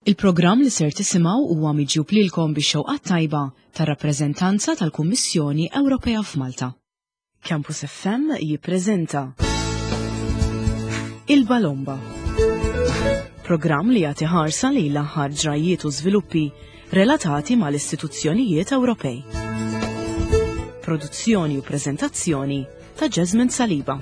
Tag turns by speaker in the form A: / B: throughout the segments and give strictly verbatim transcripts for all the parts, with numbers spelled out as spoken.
A: Il-programm li ser tisimgħu huwa miġjub lilkom bix-xewqa tajba tar-rappreżentanza tal-Kummissjoni Ewropea f'Malta. Campus F M jippreżenta Il-Balomba. Programm li jagħti ħarsa lejn l-aħħar ġrajiet u żviluppi relatati mal-istituzzjonijiet Ewropej. Produzzjoni u preżentazzjoni ta' Jasmine Saliba.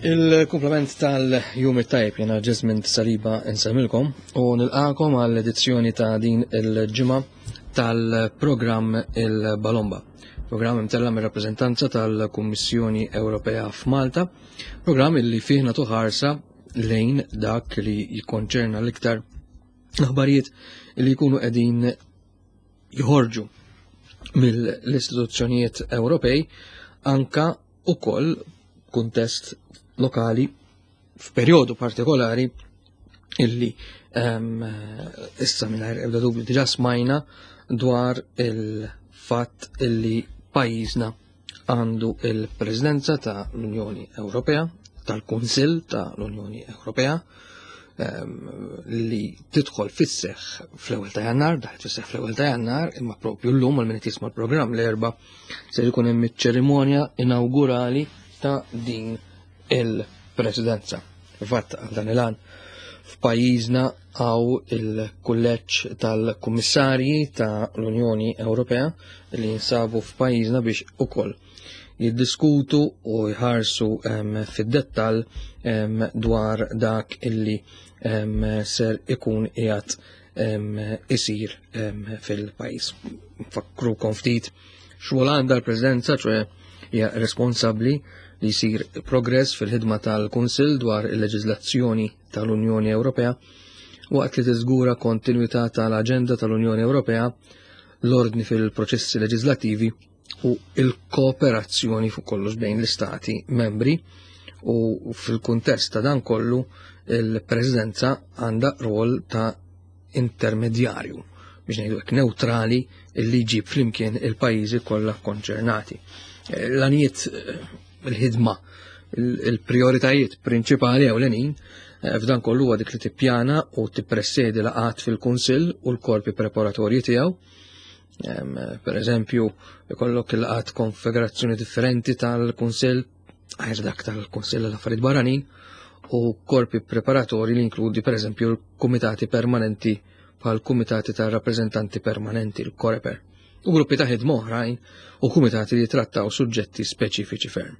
B: Il-kumplament tal-jum it-tajb, jena Jasmine Saliba insemmilkom u nilqakom għall-edizzjoni ta' din il-ġimgħa tal-programm Il-Balomba. Programm imtella mir-rappreżentanza tal-Kummissjoni Ewropea f'Malta, programm illi fih nagħtu ħarsa lejn dak li jikkonċerna l-iktar aħbarijiet li jkunu qegħdin joħorġu mill-istituzzjonijiet Ewropej, anka ukoll kuntest lokali f'perjodu partikolari illi um, issa mingħajr ebda dubju diġà smajna dwar il-fatt illi pajjiżna għandu il-Presidenza ta' l-Unjoni Ewropea, tal-Kunsill ta' l-Unjoni Ewropea, um, li tidħol fis-seħħ fl-ewwel ta' Jannar, daħlet fis-seħħ fl-ewwel ta' Jannar, imma propju llum għal min qed jisma' l-programm l-Erbgħa se jkun hemm iċ-ċerimonja inaugurali ta' din il-presidenza. Fatt għal dan il-għan f'pajjiżna għaw il-kulleġġ tal-kummissarji ta' l-Unjoni Ewropea li jinsabu f'pajjiżna biex ukoll jiddiskutu u jħarsu fid-dettall dwar dak illi ser ikun qiegħed isir fil-pajjiż. Nfakkrukom ftit xogħol għandha l-Presidenza, ċoè hija responsabbli li jsir progress fil-ħidma tal-Kunsill dwar il-leġiżlazzjoni tal-Unjoni Ewropea waqt li tiżgura kontinwità tal-aġenda tal-Unjoni Ewropea, l-ordni fil-proċessi leġislattivi u il-kooperazzjoni fuq kollox bejn l-istati membri, u fil-kuntest ta' dan kollu il-Presidenza għandha rwol ta' intermedjarju, biex ngħidu hekk, neutrali, li jġib flimkien il-pajjiżi kollha konċernati. L-għanijiet, il-ħidma, il-prioritajiet prinċipali ewlenin eh, f'dan kollu huwa dik li tippjana u tippresedi laqgħat fil-Kunsill u l-korpi preparatorji tiegħu. Per eżempju, ikollok il-laqgħat konfigurazzjoni differenti tal-Kunsill, għajr dak tal-Kunsill tal-Affarijiet Barranin, u korpi preparatorji li inkludi per eżempju l-kumitati permanenti bħal kumitati tal-rappreżentanti permanenti, l-Coreper, u gruppi ta' ħidma oħrajn u kumitati li trattaw suġġetti speċifiċi ferm.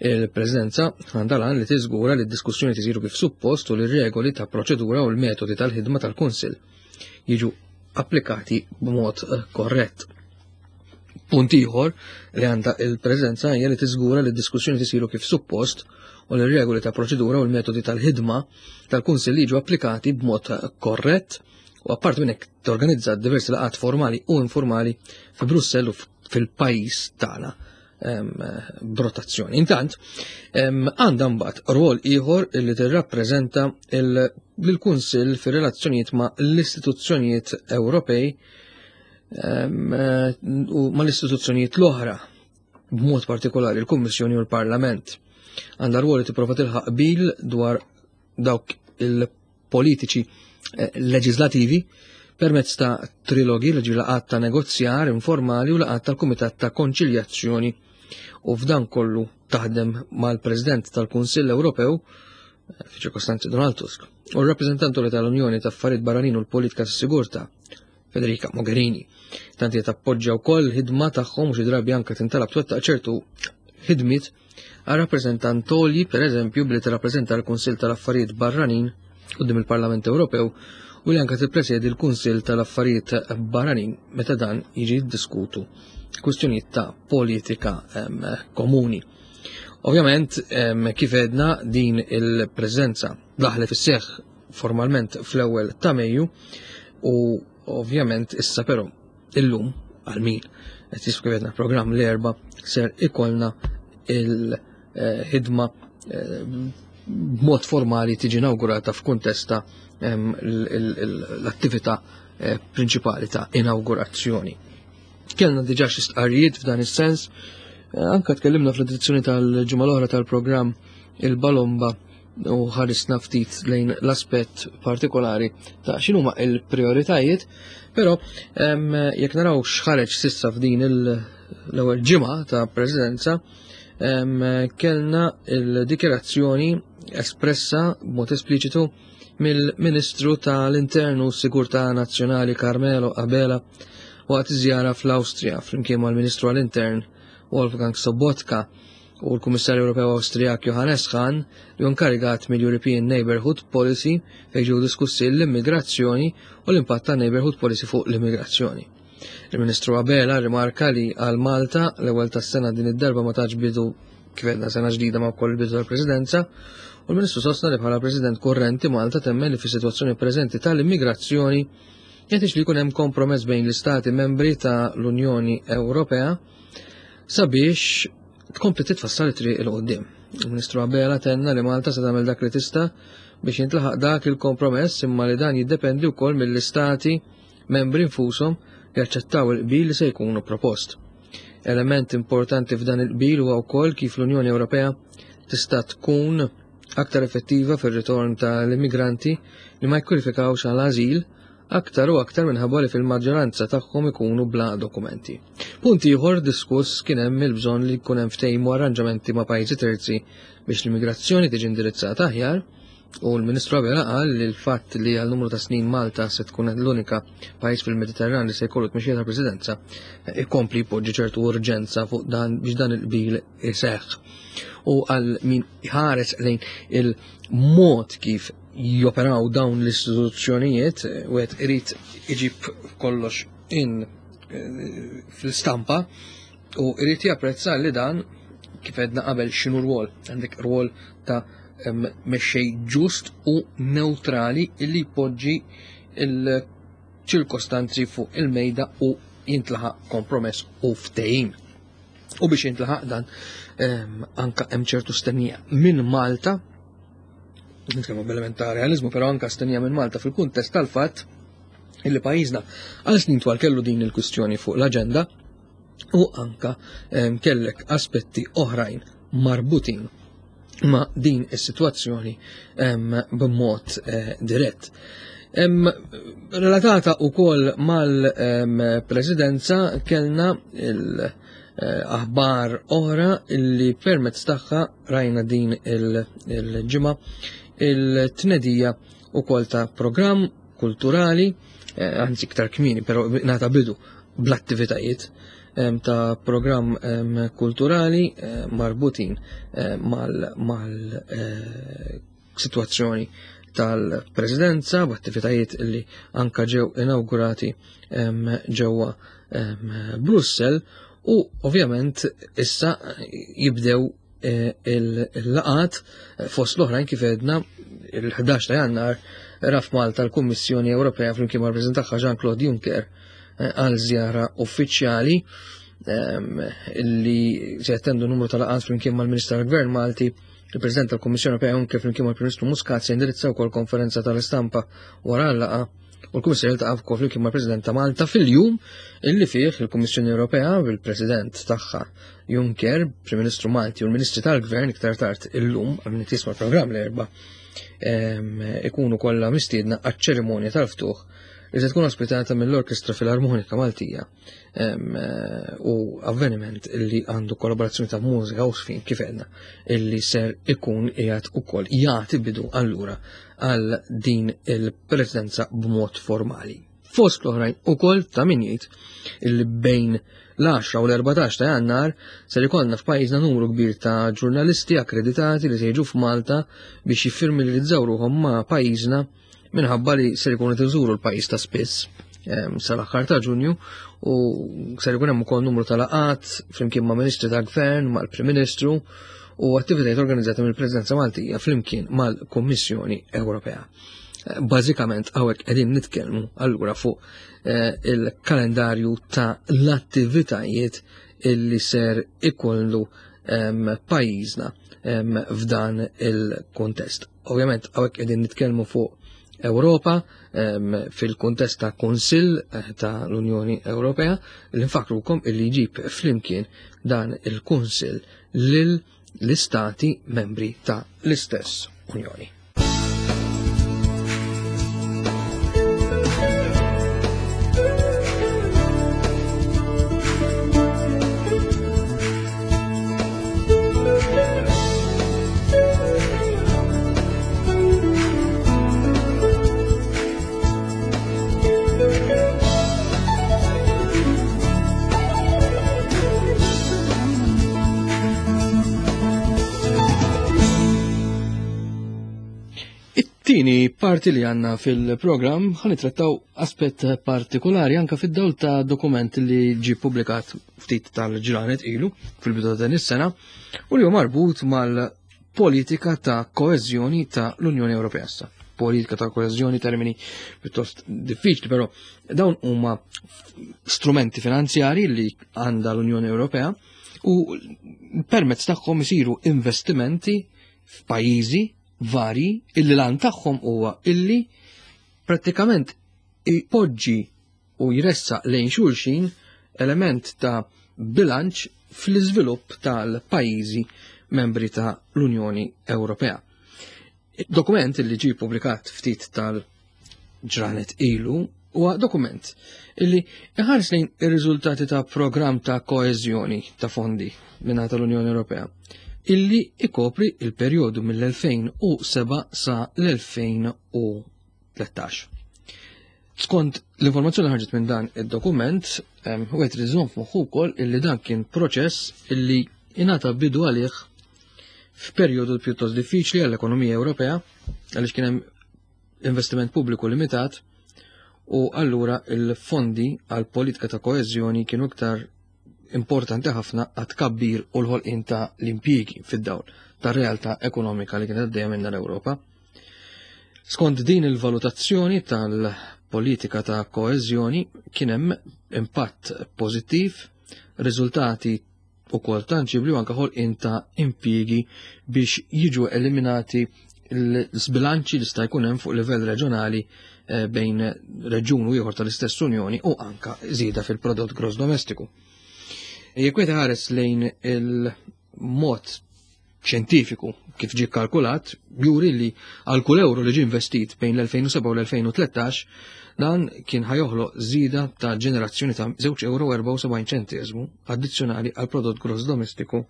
B: Il-Presidenza għandha l-għan li tiżgura li d-diskussjoni tisiru kif suppost u li regoli ta' proċedura u l-metodi tal-ħidma tal-Kunsill jiġu applikati b'mod eh, korrett. Punt ieħor li għandha il-Presidenza hija li tiżgura li d-diskussjoni tisiru kif suppost u li regoli ta' proċedura u l-metodi tal-ħidma tal-Kunsill jiġu applikati b'mod korrett, u apart minn hekk torganizza diversi laqgħat formali u informali fi Brussell u fil-pajjiż tagħna b'rotazzjoni. Intant, għandha mbagħad rwol ieħor li tirrappreżenta lill-Kunsill fir-relazzjonijiet ma' l-istituzzjonijiet Ewropej u ma' l-istituzzjonijiet l-oħra, b'mod partikolari l-Kummissjoni u l-Parlament. Għandha rwol li tipprova tilħaq qbil dwar dawk il-politiċi eh, leġislativi permezz ta' trilogi, li laqgħat ta' negozjar informali u laqgħat tal-Kumitat ta' Konċiljazzjoni, u f'dan kollu taħdem mal-President tal-Kunsill Ewropew, eh, fi ċirkostanzi Donald Tusk, u r-rappreżentantu tal-Unjoni ta' Affarijiet Barranin u l-Politika tas-Sigurtà, Federica Mogherini. Tanti tappoġġja wkoll ħidma tagħhom u xi drabi anke tintalab twettaq ċertu ħidmiet għal rappreżentantoli, per eżempju billi tirrappreżenta l-Kunsill tal-Affarijiet Barranin quddiem il-Parlament Ewropew u li anke tippresedi l-Kunsill tal-Affarijiet Barranin meta dan jiġi ddiskutu kwistjonijiet ta' politika komuni. Ovvjament, kif edna, din il-preżenza daħlet fis-seħħ formalment fl-ewwel ta' Mejju, u ovvjament issa però illum għal min qed jiskrivedna programm l-Erbgħa ser ikollna il-ħidma eh, b'mod formali tiġi inaugurata f'kuntest ta' l-attività eh, prinċipali ta' inawgurazzjoni. Kellna diġà xi stqarrijiet f'dan is-sens, eh, anka tkellimna fl-edizzjoni tal-ġimgħa l-oħra tal-programm Il-Balomba u ħarisna ftit lejn l-aspett partikolari ta' x'inhuma il-prioritajiet, però jekk naraw x'ħareġ sissa f'din l-ewwel ġimgħa ta' presidenza, kellna il-dikjerazzjoni espressa b'mod espliċitu mill-Ministru tal-Internu Sigurtà Nazzjonali Carmelo Abela waqt iż-żjara fl-Awstrija flimkien mal-Ministru għall-Intern Wolfgang Sobotka u l-Kummissarju Ewropew Awstrijak Johannes Hahn li inkarigat mill-European Neighborhood Policy, fejn ġew diskussi l-immigrazzjoni u l-impatt ta' Neighborhood Policy fuq l-immigrazzjoni. Il-Ministru Abela rimarka li għal Malta l-ewwel tas-sena din id-darba ma tax bidu, kif għedna, sena ġdida ma wkoll bidu tal-Presidenza, u l-Ministru sostna li bħala President korrenti Malta temmen li fis-sitwazzjoni preżenti tal-immigrazzjoni jeħtieġ li jkun hemm kompromess bejn l-istati membri ta' l-Unjoni Ewropea sabiex tkompli titfassal it-triq 'il quddiem. Il-Ministru Abela tenna li Malta se tagħmel dak li tista' biex jintlaħaq dak il-kompromess, imma li dan jiddependi wkoll mill-istati membri nfushom jaċċettaw il-qbil li se jkunu propost. Element importanti f'dan il-qbil huwa wkoll kif l-Unjoni Ewropea tista' tkun aktar effettiva fir-ritorn tal-immigranti li ma jkwalifikawx għal ażil, aktar u aktar minħabba li fil-maġġoranza tagħhom ikunu bla dokumenti. Punt ieħor diskuss kien hemm il-bżonn li jkun hemm ftehim u arranġamenti ma' pajjiżi terzi biex l-immigrazzjoni tiġi indirizzata aħjar, u l-Ministru Abela qal li l-fatt li għal numru ta' snin Malta se tkun l-unika pajjiż fil-Mediterran li se jkollu tmexxija tal-Presidenza ikompli jpoġġi ċertu urġenza fuq dan biex dan il-qbil iseħħ. U għal min ħares lejn il-mod kif joperaw dawn l-istituzzjonijiet, u għed irid iġib kollox in eh, fl-istampa u irid japprezza li dan, kif għedna qabel, x'inhu rwol, għandek rwol ta' mexxej ġust u neutrali illi jpoġġi il-ċirkostanzi fuq il-mejda u jintlaħaq kompromess u ftehim. U biex jintlaħaq dan, anka hemm ċertu stennija minn Malta, nitkellmu b'element ta' realizmu, però anka stennija minn Malta fil-kuntest tal-fatt illi pajjiżna għal snin twal kellu din il-kwistjoni fuq l-aġenda u anka kellek aspetti oħrajn marbutin ma' din is-sitwazzjoni b'mod eh, dirett. Relatata wkoll mal-presidenza kellna l-aħbar oħra illi permezz tagħha rajna din il-ġimgħa il-tnedija ukoll ta' programm kulturali, eh, anzi iktar kmieni, però ngħata bidu bl-attivitajiet ta' programm kulturali eh, marbutin mal-sitwazzjoni tal-presidenza, b'attivitajiet li anka ġew inaugurati ġewwa Brussel, u ovvjament issa jibdew eh, il-laqat fost l-oħrajn, kif għedna, il-ħdax ta' Jannar raf Malta l-Kummissjoni Ewropea flimkien mal-President tagħha Jean-Claude Juncker eh, għal żjara uffiċjali li se jattendu numru ta' laqat flimkien mal-Ministru tal-Gvern Malti. Il-President tal-Kummissjoni Ewropea Juncker flimkien mal-Prim Ministru Muscat se jindirizzaw ukoll konferenza tal-istampa wara l-laqgħa, u l-Kummissjoni jiltaqa' wkoll flimkien mal-President ta' Malta fil-jum illi fih il-Kummissjoni Ewropea bil-President tagħha Juncker, Prim Ministru Malti u l-Ministri tal-Gvern iktar tard illum, għal min jisma' l-programm l-Erbgħa, ikunu kollha mistiedna għaċ-ċerimonja tal-ftuħ li se tkun ospitata mill-Orkestra Filarmonika Maltija, u avveniment li għandu kollaborazzjoni ta' mużika u sfin, kif għedna, illi ser ikun qiegħed ukoll jagħti bidu allura għal din il-presidenza b'mod formali. Fost l-oħrajn ukoll ta' min jgħid illi bejn l-għaxra u l-erbatax ta' Jannar ser ikollna f'pajjiżna numru kbir ta' ġurnalisti akkreditati li se jiġu f'Malta biex jiffamiljarizzaw ruħhom ma' pajjiżna, minħabba li ser ikunu iżuru l-pajjiż ta' spiss sal-aħħar ta' Ġunju, u ser ikun hemm ukoll numru ta' laqat flimkien ma' Ministri ta' Gvern, mal-Prim Ministru u attivitajiet organizzati mill-Presidenza Maltija flimkien mal-Kummissjoni Ewropea. Bażikament hawnhekk qegħdin nitkellmu allura fuq eh, il-kalendarju ta' l-attivitajiet illi ser ikollu pajjiżna f'dan il-kontest. Ovvjament hawnhekk qegħdin nitkellmu fuq Ewropa fil-kuntest ta' Kunsill ta' l-Unjoni Ewropea li nfakrukom illi jġib flimkien dan il-Kunsill lil l-istati membri ta' l-istess Unjoni. It-tieni parti li għandna fil-programm ħa nittrattaw aspett partikolari anka fid-dawl ta' dokument li ġie ppubblikat ftit tal-ġranet ilu fil-bidu ta' din is-sena u li hu marbut mal-politika ta' koeżjoni ta' l-Unjoni Ewropea issa. Politika ta' koeżjoni, termini pjuttost diffiċli, però dawn huma strumenti finanzjari li għandha l-Unjoni Ewropea u permezz tagħhom isiru investimenti f'pajjiżi vari illi lan tagħhom huwa illi prattikament ipoġġi u jressaq lejn xulxin element ta' bilanċ fl-iżvilupp tal-pajjiżi membri ta' l-Unjoni Ewropea. Dokument illi ġie ppubblikat ftit tal-ġranet ilu huwa dokument illi iħares lejn ir-riżultati ta' programm ta' koeżjoni ta' fondi mingħata tal-Unjoni Ewropea illi ikopri il-perjodu mill-elfejn u seba' sa l-elfejn u tlettax. Skont l-informazzjoni li ħarġet minn dan id-dokument, wieħed irid iżomm f'moħħu wkoll illi dan kien proċess illi ingħata bidu għalih f'perjodu pjuttost diffiċli għall-ekonomija Ewropea, għaliex kien hemm investiment pubbliku limitat u allura il-fondi għal politika ta' koeżjoni kienu iktar importanti ħafna għat tkabbir u l-ħolqien ta' l-impjiegi fid-dawl ta' realtà ekonomika li kienet għaddejja minnha l-Ewropa. Skont din il-valutazzjoni tal-politika ta' koeżjoni kien hemm impatt pożittiv, riżultati ukoll tanġibli u anke ħolqien ta' impjiegi biex jiġu eliminati l-sbilanċi li sta' jkun hemm fuq livell reġjonali bejn reġjun u ieħor tal-istess Unjoni u anka żieda fil-prodott gross domestiku. Jekk wieħed iħares lejn il-mod xjentifiku kif ġie kkalkulat, juri li għal kull euro li ġie investit bejn l-elfejn u seba' u l-elfejn u tlettax, dan kien ħajoħloq żieda ta' ġenerazzjoni ta' żewġ euro u erbgħa u sebgħin ċenteżmu addizzjonali għal prodott gross domestiku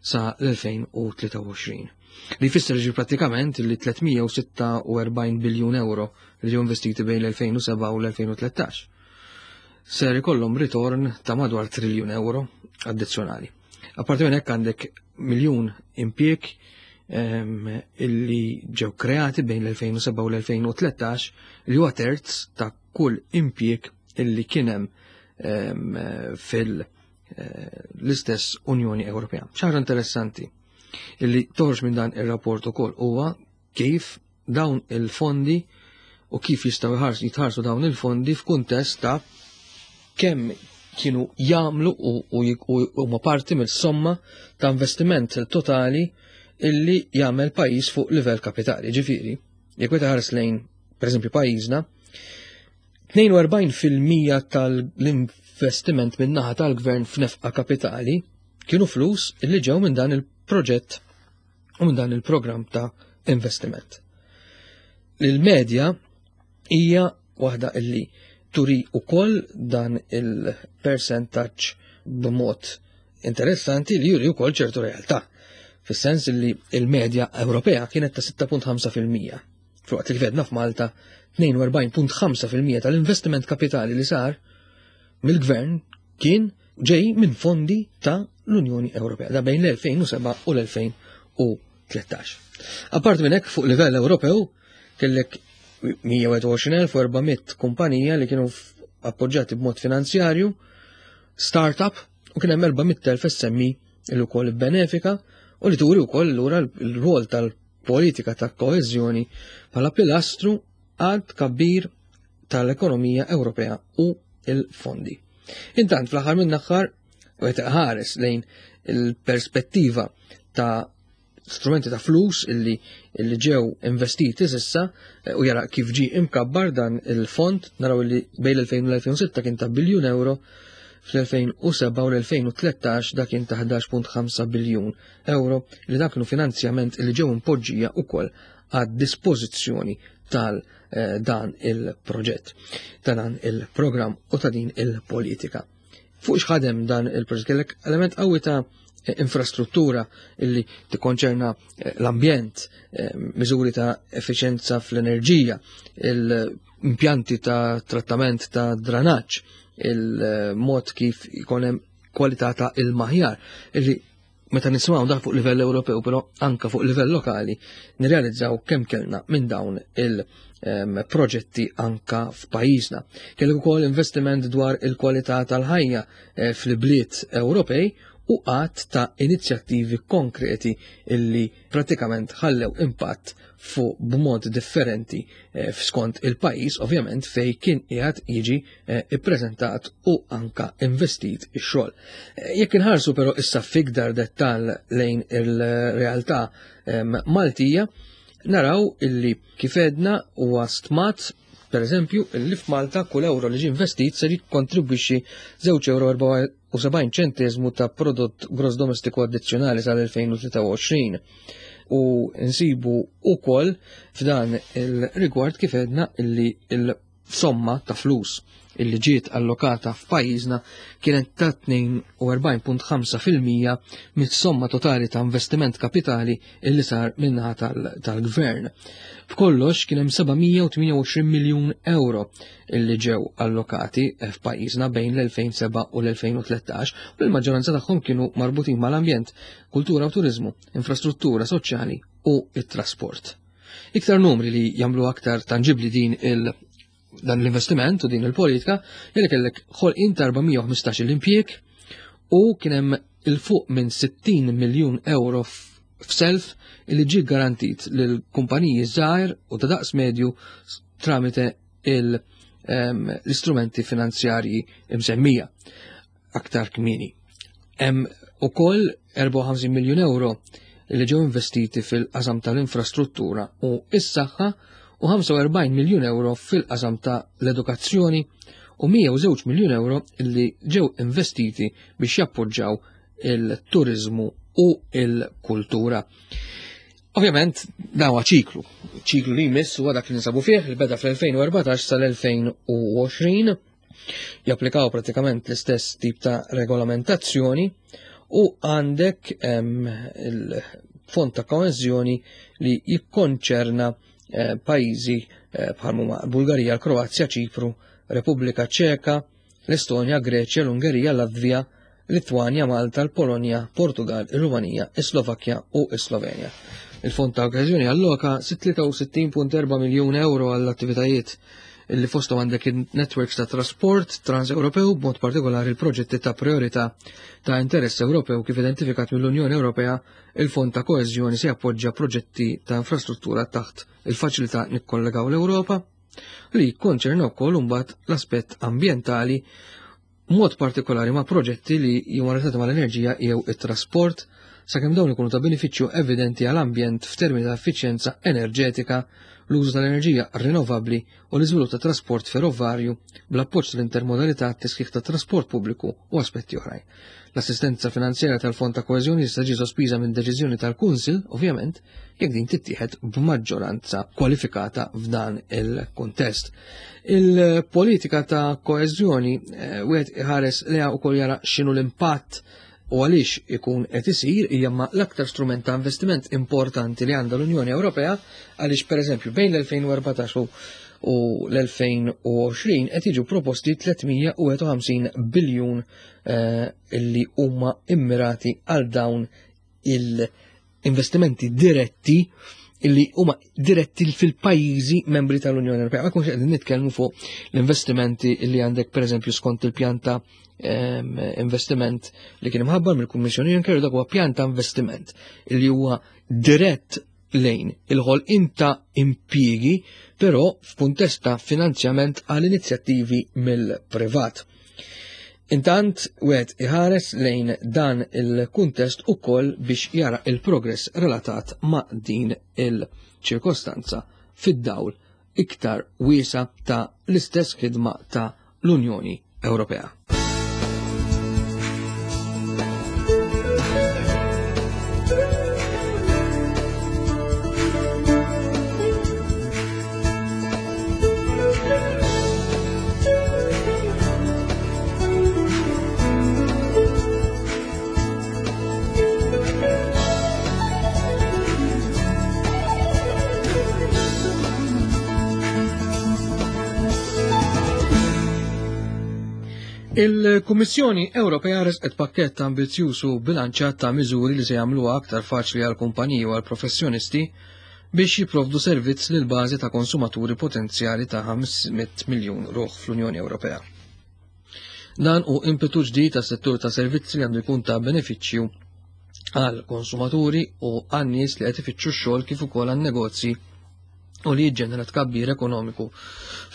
B: sa l-elfejn u tlieta u għoxrin. Li jfisser ġi prattikament li tliet mija u sitta u erbgħin biljun euro li ġew investiti bejn l-elfejn u seba' u l-elfejn u tlettax ser ikollhom ritorn ta' madwar triljun euro addizzjonali. Apparti minn hekk għandek miljun impjieg, ehm, illi ġew kreati bejn l-elfejn u seba' u l-elfejn u tlettax, li huwa terz ta' kull impjieg illi kien hemm, ehm, fil-, eh, l-istess Unjoni Ewropea. Xi ħaġa interessanti illi toħroġ minn dan ir-rapport ukoll huwa kif dawn il-fondi u kif jistgħu jħarsu, jitħarsu dawn il-fondi f'kuntest ta' kemm kienu jagħmlu u, u, u huma parti mill-somma ta' investiment totali illi jagħmel pajjiż fuq livell kapitali. Ġifieri, jekk wieħed iħares lejn, pereżempju, pajjiżna, tnejn u erbgħin fil-mija tal-investiment min-naħa tal-gvern f'nefqa kapitali kienu flus illi ġew minn dan il-proġett u minn dan il-programm ta' investiment. Il-medja hija waħda illi turi ukoll dan il-percentaġġ b'mod interessanti li juri wkoll ċertu realtà, fis-sens li il-medja Ewropea kienet ta' sitta punt ħamsa fil-mija. Filwaqt li vedna f'Malta tnejn u erbgħin punt ħamsa fil-mija tal-investiment kapitali li sar mill-gvern kien ġej minn fondi ta' l-Unjoni Ewropea, da bejn l-elfejn u seba' u l-elfejn u tlettax. Apart minn hekk, fuq livell Ewropew kellek mija u wieħed u għoxrin elf u erba' mitt kumpanija li kienu f-, appoġġjati b'mod finanzjarju, startup, u kien hemm erba' mitt elf S M E li wkoll benefika u li turi wkoll lura l-rwol tal-politika ta' koeżjoni bħala pilastru għad tkabbir tal-ekonomija Ewropea u il-fondi. Intant fl-aħħar minn aħħar wieħed iħares lejn il-perspettiva ta' strumenti ta' flus illi, illi ġew investiti s'issa eh, u jara kif ġi imkabbar dan il-fond, naraw illi bejn l-elfejn u l-elfejn u sitta kien ta' biljun euro, fl-elfejn u seba' u l-elfejn u tlettax dak kien ta' ħdax punt ħamsa biljun euro, li dak kienu finanzjament li ġew impoġġija ukoll għad dispożizzjoni tal, eh, dan il-proġett, ta' dan il-programm u ta' din il-politika. Fuq x'ħadem dan il-proġett kellek element qawwi ta' infrastruttura illi tikkonċerna, eh, l-ambjent, eh, miżuri ta' effiċenza fl-enerġija, l-impjanti ta' trattament ta' dranaġġ, il-mod kif ikun hemm kwalità ta' il-maħjar, illi meta nisimgħu dak fuq livell Ewropew, però anka fuq livell lokali, nirrealizzaw kemm kellna minn dawn il-, em, proġetti anka f'pajjiżna. Kellek ukoll investiment dwar il-kwalità tal-ħajja, eh, fl-bliet Ewropej u għadd ta' inizjattivi konkreti illi pratikament ħallew impatt fuq b'mod differenti, eh, skont il-pajjiż, ovvjament, fej kien qiegħed jiġi, eh, ippreżentat u anka investit ix-xogħol. Eh, jekk inħarsu però issa f'iktar dettall lejn il-realtà, em, Maltija, naraw illi kif edna huwa stmat, per eżempju, illi f'Malta kull euro li ġie investit ser jikkontribwixxi żewġ euro erbgħa u sebgħin ċenteżmu ta' prodott gross domestiku addizzjonali sal-elfejn u tlieta u għoxrin. U nsibu ukoll f'dan il-rigward kif edna illi il-somma ta' flus illi ġiet allokata f'pajjiżna kienet ta' tnejn u erbgħin punt ħamsa fil-mija mis-somma totali ta' investiment kapitali illi sar minnaħa tal-, tal-gvern. B'kollox kien hemm seba' mija u tmienja u għoxrin miljun euro illi ġew allokati f'pajjiżna bejn l-elfejn seba' u l-elfejn u tlettax, u l-maġġoranza tagħhom kienu marbutin mal-ambjent, kultura u turizmu, infrastruttura soċjali u it-trasport. Iktar numri li jagħmlu aktar tanġibli din il- dan l-investiment u din il-politika, jeli kellek ħolqien ta' erba' mija u ħmistax il-impjieg u kien hemm il-fuq minn sittin miljun euro f-, f'self li ġie garantit lil kumpaniji żgħar u ta' daqs medju tramite il-, em, l-istrumenti finanzjarji msemmija aktar kmieni. Hemm ukoll erbgħa u ħamsin miljun euro li ġew investiti fil-qasam tal-infrastruttura u s-saħħa u ħamsa u erbgħin miljun euro fil-qasam ta' l-edukazzjoni u mija u żewġ miljun euro li ġew investiti biex jappoġġaw il-turizmu u il-kultura. Ovvjament, dan huwa ċiklu. Ċiklu li jmiss huwa dak li ninsabu fih, li beda fl-elfejn u erbatax sal-elfejn u għoxrin, japplikaw pratikament l-istess tip ta' regolamentazzjoni u għandek, em, il-fond ta' koeżjoni li jikkonċerna, eh, pajjiżi, eh, bħal huma Bulgarija, l-Kroazja, Ċipru, Repubblika Ċeka, l-Estonja, Greċja, l-Ungerija, Latvija, Litwanja, Malta, l-Polonja, Portugal, ir-Rumanija, is-Slovakkja u s-Slovenja. Il-fond ta' koeżjoni alloka tlieta u sittin punt erba' miljun euro għall-attivitajiet illi fosthom għandek il-networks ta' trasport trans-Ewropew, b'mod partikolari il-proġetti ta' priorità ta' interess Ewropew kif identifikat mill-Unjoni Ewropea. Il-fond ta' koeżjoni se jappoġġja proġetti ta' infrastruttura taħt il-faċilità Nikkollegaw l-Ewropa li jikkonċerna wkoll imbagħad l-aspett ambjentali, mod partikolari ma' proġetti li huma relatati mal-enerġija jew it-trasport, sakemm dawn ikunu ta' benefiċċju evidenti għall-ambjent f'termini ta' effiċjenza enerġetika, l-użu tal-enerġija rinnovabbli u l-iżvilupp ta' trasport ferrovarju bl-appoġġ tal-intermodalità, t-tisħiħ ta' trasport pubbliku u aspetti oħrajn. L-assistenza finanzjarja tal-Fond ta' Koeżjoni tista' tiġi sospiża minn deċiżjoni tal-Kunsill, ovvjament, jekk din tittieħed b'maġġoranza kwalifikata f'dan il-kuntest. Il-politika ta' koeżjoni, eh, wieħed iħares leha wkoll jara x'inhu l-impatt u għaliex ikun qed isir, hija ma l-aktar strument ta' investiment importanti li għandha l-Unjoni Ewropea, għaliex pereżempju bejn l-elfejn u erbatax u, u l-elfejn u għoxrin qed jiġu proposti tliet mija u wieħed u ħamsin biljun, eh, illi huma immirati għal dawn il-investimenti diretti illi huma diretti fil-pajjiżi membri tal-Unjoni Ewropea. Ma jkunx qegħdin nitkellmu fuq l-investimenti illi għandek pereżempju skont il-pjan ta', ehm, investiment li kien imħabbar mill-Kummissjoni Juncker, dak huwa pjan ta' investiment illi huwa dirett lejn il-ħolqien ta' impjiegi, però f'kuntest ta' finanzjament għal inizjattivi mill-privat. Intant, wieħed iħares lejn dan il-kuntest ukoll biex jara il-progress relatat ma' din il-ċirkostanza fid-dawl iktar wiesa ta' l-istess ħidma ta' l-Unjoni Ewropea. Il-Kummissjoni Ewropea resqet pakkett ambizzjuż u bilanċat ta' miżuri li se jagħmluha aktar faċli għal kumpaniji u għal professjonisti biex jipprovdu servizz lil bażi ta' konsumaturi potenzjali ta' ħames mitt miljun ruħ fl-Unjoni Ewropea. Dan hu impetu ġdid tas-settur ta' servizzi li għandu jkun ta' benefiċċju għal konsumaturi u għan nies li qed ifittxu x-xogħol kif ukoll għan negozji u li jiġġenera tkabbir ekonomiku.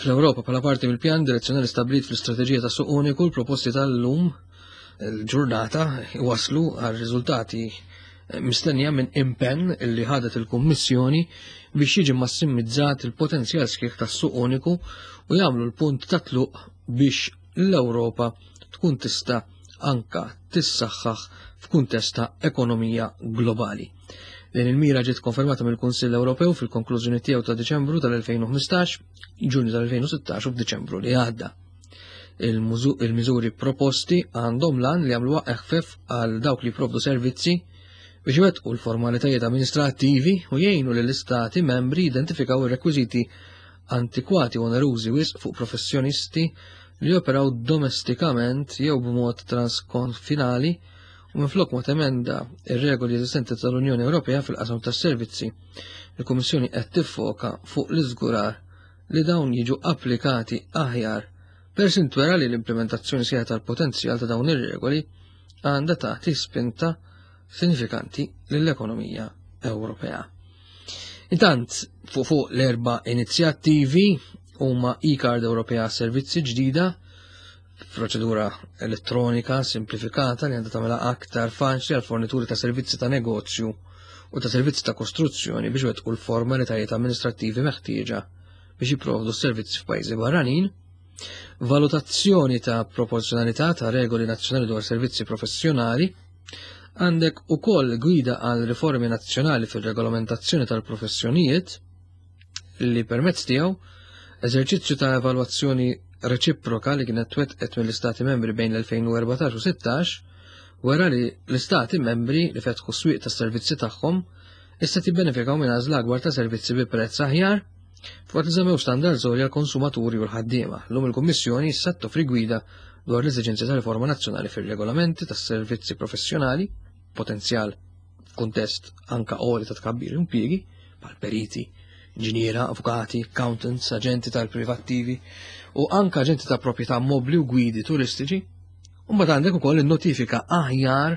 B: Fl-Ewropa bħala parti mill-pjan direzzjonali stabbilit fl-istrateġija ta' suq uniku, l-proposti tal-lum il-ġurnata waslu għal riżultati mistennija minn impenn li ħadet il-Kummissjoni biex jiġi massimizzat il-potenzjal sħiħ tas-suq uniku u jagħmlu l-punt ta' tluq biex l-Ewropa tkun tista' anka tissaħħaħ f'kuntest ta' ekonomija globali. Din il-mira ġiet konfermata mill-Kunsill Ewropew fil-konklużjoni tiegħu ta' Diċembru tal-elfejn u ħmistax, Ġunju tal-elfejn u sittax u f'Diċembru li għadda. Il-miżuri proposti għandhom lan li jagħmluha eħfef għal dawk li jipprovdu servizzi biex iwettqu l-formalitajiet amministrattivi u jgħinu lill-istati membri jidentifikaw ir-rekwiżiti antikwati u onerużi wisq fuq professjonisti li joperaw domestikament jew b'mod transkonfinali u minflok ma temenda ir-regoli eżistenti tal-Unjoni Ewropea fil-qasam tas-servizzi. Il-Kummissjoni qed tiffoka fuq l-iżgurar li dawn jiġu applikati aħjar per sintwera li l-implementazzjoni sħiħa tal-potenzjal ta' dawn ir-regoli għandha tagħti spinta sinifikanti lill-ekonomija Ewropea. Intant, fuq fuq l-erba' inizjattivi huma e-card Ewropea servizzi ġdida, proċedura elettronika simplifikata li għandha tagħmilha aktar faċli għal fornituri ta' servizzi ta' negozju u ta' servizzi ta' kostruzzjoni biex wettqu l-formalitajiet amministrattivi meħtieġa biex jipprovdu s-servizzi f'pajjiżi barranin, valutazzjoni ta' proporzjonalità ta' regoli nazzjonali dwar servizzi professjonali, għandek ukoll gwida għal riformi nazzjonali fil-regolamentazzjoni tal-professjonijiet li permezz tiegħu eżerċizzju ta' evalwazzjoni reċiproka li kienet twettqet mill-Istati membri bejn l-elfejn u erbatax u sittax wera li l-Istati membri li fetħu s-swieq tas-servizzi tagħhom issa tibbenefikaw minn għażla akbar ta' servizzi bi prezz aħjar fuq li żammew standards għolja għall-konsumaturi u l-ħaddiema. Llum il-Kummissjoni issa toffri gwida dwar l-eżiġenzi ta' riforma nazzjonali fir-regolamenti tas-servizzi professjonali, potenzjal f'kuntest anka għoli ta' tkabbir impjiegi bħal periti, inġiniera, avukati, accountants, aġenti tal-privattivi u anka aġenti ta' proprjetà mobbli u gwidi turistiċi. U mbagħad għandek ukoll in-notifika aħjar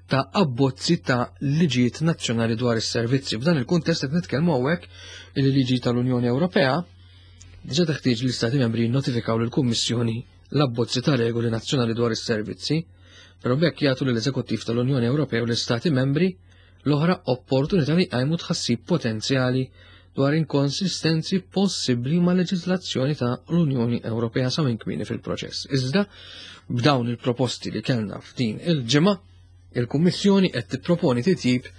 B: ta' abbozzi ta' liġijiet nazzjonali dwar is-servizzi. F'dan il-kuntest qed nitkellmu hawnhekk il-liġi tal-Unjoni Ewropea diġà teħtieġ li l-Istati membri jinnotifikaw lill-Kummissjoni l-abbozzi ta' regoli nazzjonali dwar is-servizzi, però b'hekk jagħtu lill-Eżekuttiv tal-Unjoni Ewropea u l-Istati membri l-oħra opportunità li jqajmu tħassib potenzjali dwar inkonsistenzi possibbli ma' leġiżlazzjoni ta' l-Unjoni Ewropea sa minn kmieni fil-proċess. Iżda b'dawn il-proposti li kellna f'din il-ġimgħa, il-Kummissjoni qed tipproponi titjib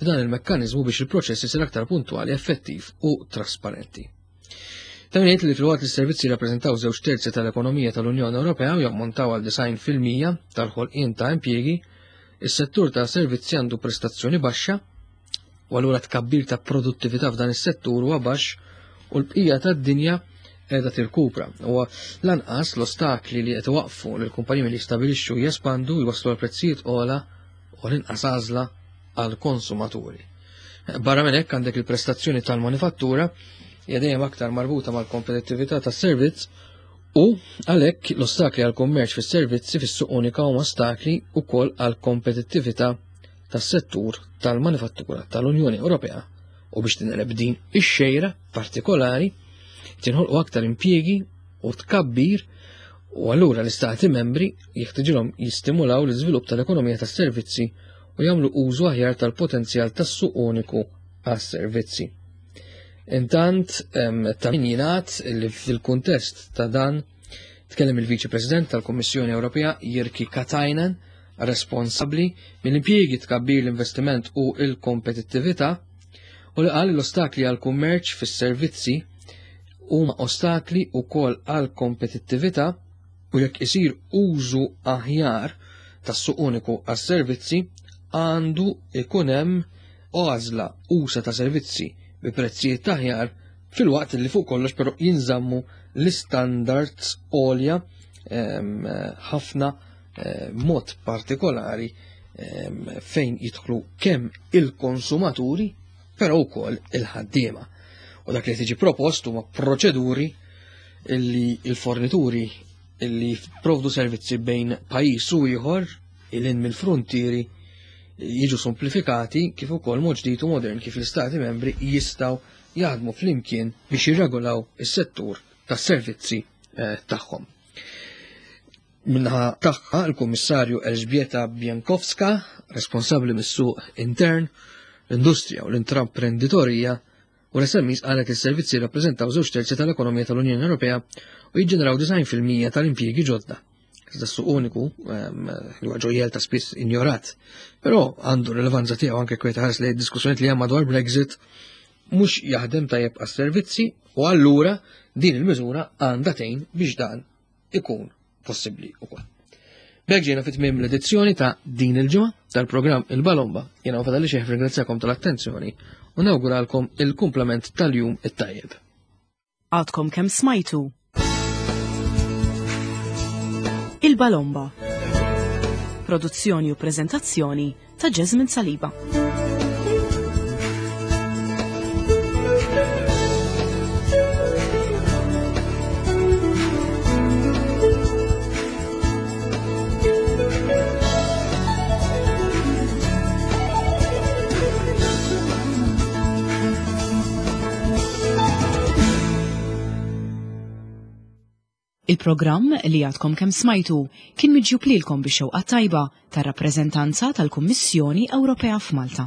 B: f'dan il-mekkaniżmu biex il-proċess isir aktar puntwali, effettiv u trasparenti. Ta' min jgħid li filwaqt li s-servizzi jirrappreżentaw żewġ terzi tal-ekonomija tal-Unjoni Ewropea u jammontaw għal disgħin fil-mija tal-ħolqien ta' impjiegi, is-settur ta' servizzi għandu prestazzjoni baxxa u allura tkabbir ta' produttività f'dan is-settur huwa baxx u l-bqija tad-dinja qiegħda tirkupra. Huwa lanqas l-ostakli li qed iwaqfu lil kumpaniji li jistabilixxu jespandu jwasslu għal prezzijiet ogħla u l-inqas għażla għal konsumaturi. Barra minn hekk għandek il-prestazzjoni tal-manifattura hija dejjem aktar marbuta mal-kompetittività tas-servizz u għalhekk l-ostakli għal kummerċ fis-servizzi fis-suq unika huma ostakli wkoll għal kompetittività tas-settur tal-manifattura tal-Unjoni Ewropea u biex tinqeleb din ix-xejra partikolari tinħolqu aktar impjiegi u tkabbir U allura l-istati membri jeħtiġilhom jistimulaw l-iżvilupp tal-ekonomija tas-servizzi u jagħmlu użu aħjar tal-potenzjal tas-suq uniku għas-servizzi. Intant, ta' min jingħad li fil-kuntest ta' dan tkellem il-Viċi President tal-Kummissjoni Ewropea Jyrki Katainen, responsabbli mill-impjiegi, tkabbir, l-investiment u l-kompetittività, u li qal l-ostakli għal kummerċ fis-servizzi huma ostakli wkoll għal kompetittività u jekk isir użu aħjar tas-suq uniku għas-servizzi għandu ikun hemm għażla usa ta' servizzi bi prezzijiet aħjar, filwaqt li fuq kollox però jinżammu l-istandards għolja ħafna mod partikolari fejn jidħlu kemm il-konsumaturi però wkoll il-ħaddiema. U dak li tiġi propost huma proċeduri illi il-fornituri illi jipprovdu servizzi bejn pajjiż u ieħor ilin mill-frontieri jiġu simplifikati, kif ukoll mod ġdid u modern kif l-istati membri jistgħu jaħdmu flimkien biex jirregolaw is-settur tas-servizzi eh, tagħhom. Minnaħa tagħha l-Kummissarju Elżbieta Bienkowska, responsabbli mis-suq intern, l-industrija u l-intraprenditorija u l-S M Es, qalet li s-servizzi rappreżentaw żewġ terzi tal-ekonomija tal-Unjoni Ewropea u jiġġeneraw disgħin fil-mija tal-impjiegi ġodda. Iżda s-suq uniku, li huwa ġojjel ta' spiss injorat, però għandu rilevanza tiegħu anke kwiet ħares li diskussjonijiet li hemm madwar Brexit, mhux jaħdem tajjeb għas-servizzi u allura din il-miżura għandha tgħin biex dan ikun possibbli ukoll. B'hekk ġejna fit tmiem l-edizzjoni ta' din il-ġimgħa tal-programm Il-Balomba. Jiena fadali xejn ringrazzjakom tal-attenzjoni u nawguralkom il-kumplament tal-jum it-tajjeb.
A: Għadkom kemm smajtu Il-Balomba. Produzzjoni u prezentazzjoni ta' Jasmine Saliba. Il-programm li għadkom kemm smajtu kien miġjub lilkom bix-xewqa tajba tar-rappreżentanza tal-Kummissjoni Ewropea f'Malta.